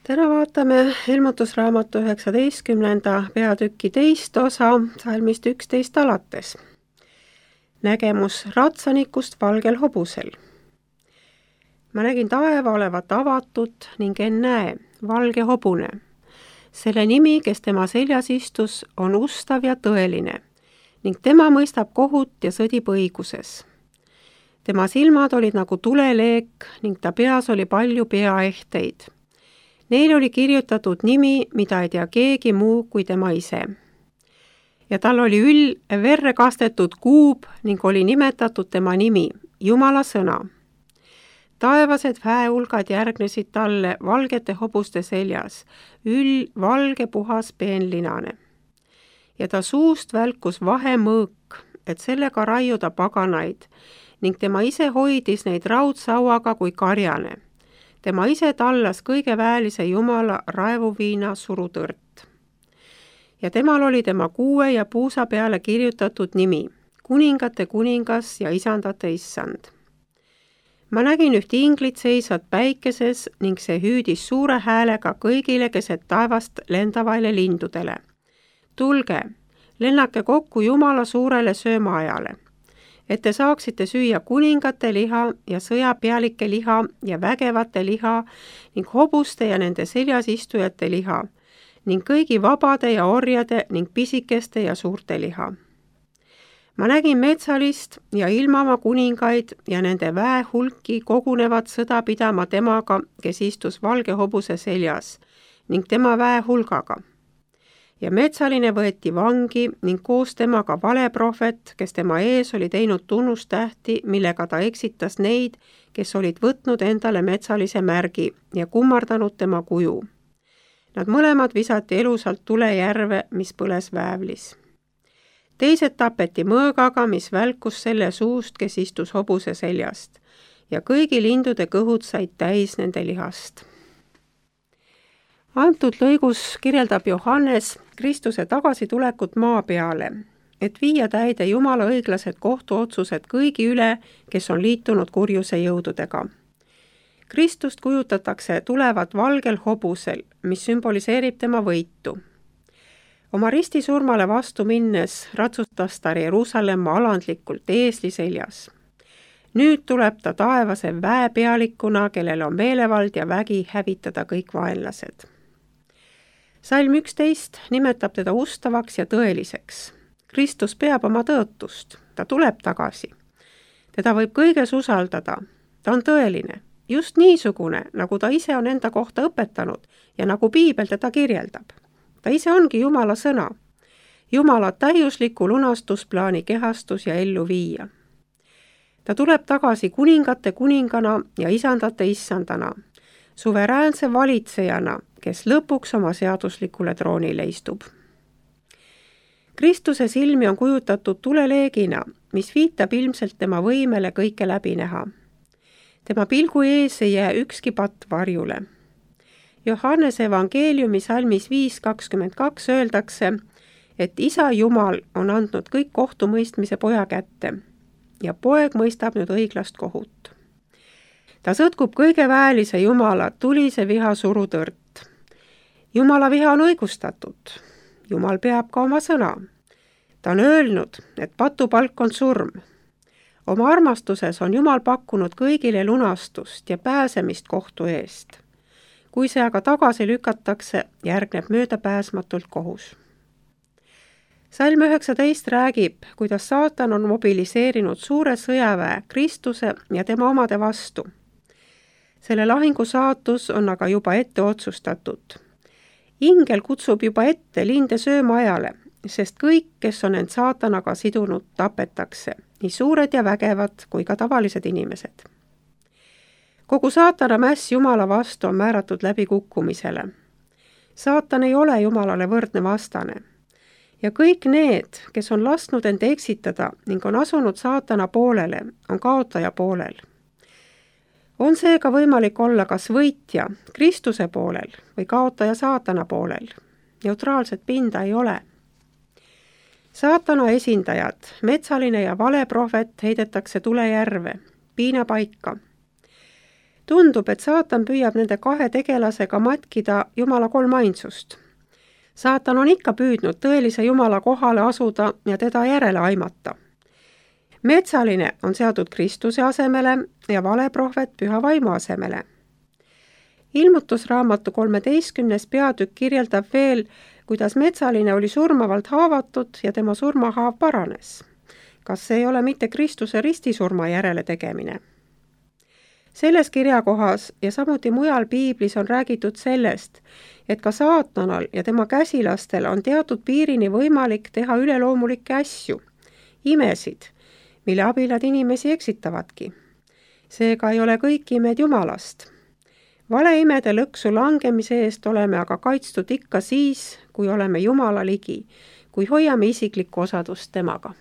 Täna vaatame ilmutusraamatu 19. peatüki 2. osa salmist 11 alates. Nägemus ratsanikust valgel hobusel. Ma nägin taeva olevat avatud ning ennäe, valge hobune. Selle nimi, kes tema seljas istus, on ustav ja tõeline ning tema mõistab kohut ja sõdib õiguses. Tema silmad olid nagu tuleleek ning ta peas oli palju peaehteid. Neil oli kirjutatud nimi, mida ei tea keegi muu kui tema ise. Ja tal oli verre kastetud kuub ning oli nimetatud tema nimi, Jumala sõna. Taevased väehulgad järgnesid talle valgete hobuste seljas, valge puhas peenlinane. Ja ta suust välkus vahemõõk, et sellega raiuda paganaid, ning tema ise hoidis neid raudsauaga kui karjane. Tema ise tallas kõige väelise Jumala raevuviina surutõrt. Ja temal oli tema kuue ja puusa peale kirjutatud nimi, kuningate kuningas ja isandate issand. Ma nägin üht inglit seisvat päikeses ning see hüüdis suure häälega kõigile keset taevast lendavaile lindudele. Tulge, lennake kokku Jumala suurele söömaajale, et te saaksite süüa kuningate liha ja sõjapealike liha ja vägevate liha ning hobuste ja nende seljas istujate liha ning kõigi vabade ja orjade ning pisikeste ja suurte liha. Ma nägin metsalist ja ilmamaa kuningaid ja nende väehulki kogunevad sõda pidama temaga, kes istus valge hobuse seljas ning tema väehulgaga. Ja metsaline võeti vangi ning koos temaga valeprohvet, kes tema ees oli teinud tunnustähti, millega ta eksitas neid, kes olid võtnud endale metsalise märgi ja kummardanud tema kuju. Nad mõlemad visati elusalt tulejärve, mis põles väävlis. Teised tapeti mõõgaga, mis välkus selle suust, kes istus hobuse seljast, ja kõigi lindude kõhud said täis nende lihast. Antud lõigus kirjeldab Johannes Kristuse tagasitulekut maa peale, et viia täide Jumala õiglased kohtuotsused kõigi üle, kes on liitunud kurjuse jõududega. Kristust kujutatakse tulevat valgel hobusel, mis sümboliseerib tema võitu. Oma ristisurmale vastu minnes ratsutas ta Jeruusalemma alandlikult eesli seljas. Nüüd tuleb ta taevase väepealikuna, kellel on meelevald ja vägi hävitada kõik vaenlased. Salm 11 nimetab teda ustavaks ja tõeliseks. Kristus peab oma tõotust, ta tuleb tagasi. Teda võib kõiges usaldada, ta on tõeline, just niisugune, nagu ta ise on enda kohta õpetanud ja nagu Piibel teda kirjeldab. Ta ise ongi Jumala sõna, Jumala täiusliku lunastusplaani kehastus ja ellu viia. Ta tuleb tagasi kuningate kuningana ja isandate issandana, suveräänse valitsejana, kes lõpuks oma seaduslikule troonile istub. Kristuse silmi on kujutatud tuleleegina, mis viitab ilmselt tema võimele kõike läbi näha. Tema pilgu ees ei jää ükski patt varjule. Johannese evangeeliumi salmis 5.22 öeldakse, et Isa Jumal on andnud kõik kohtumõistmise poja kätte ja poeg mõistab nüüd õiglast kohut. Ta sõtkub kõige väelise Jumala tulise viha surutõrt. Jumala viha on õigustatud. Jumal peab ka oma sõna. Ta on öelnud, et patupalk on surm. Oma armastuses on Jumal pakkunud kõigile lunastust ja pääsemist kohtu eest. Kui see aga tagasi lükatakse, järgneb möödapääsmatult kohus. Salm 19 räägib, kuidas saatan on mobiliseerinud suure sõjaväe Kristuse ja tema omade vastu. Selle lahingu saatus on aga juba ette otsustatud. Ingel kutsub juba ette linde söömaajale, sest kõik, kes on end saatanaga sidunud, tapetakse, nii suured ja vägevad kui ka tavalised inimesed. Kogu saatana mäss Jumala vastu on määratud läbi kukkumisele. Saatan ei ole Jumalale võrdne vastane. Ja kõik need, kes on lasknud end eksitada ning on asunud saatana poolele, on kaotaja poolel. On seega võimalik olla kas võitja Kristuse poolel või kaotaja saatana poolel. Neutraalset pinda ei ole. Saatana esindajad, metsaline ja valeprohvet heidetakse tulejärve, piinapaika. Tundub, et saatan püüab nende kahe tegelasega matkida Jumala kolmainsust. Saatan on ikka püüdnud tõelise Jumala kohale asuda ja teda järele aimata. Metsaline on seatud Kristuse asemele ja valeprohvet Püha Vaimu asemele. Ilmutusraamatu 13. peatükk kirjeldab veel, kuidas metsaline oli surmavalt haavatud ja tema surmahaav paranes. Kas see ei ole mitte Kristuse ristisurma järele tegemine? Selles kirjakohas ja samuti mujal piiblis on räägitud sellest, et ka saatanal ja tema käsilastel on teatud piirini võimalik teha üleloomulikke asju, imesid, mille abil nad inimesi eksitavadki. Seega ei ole kõik imed Jumalast. Valeimede lõksu langemise eest oleme aga kaitstud ikka siis, kui oleme Jumala ligi, kui hoiame isiklikku osadust temaga.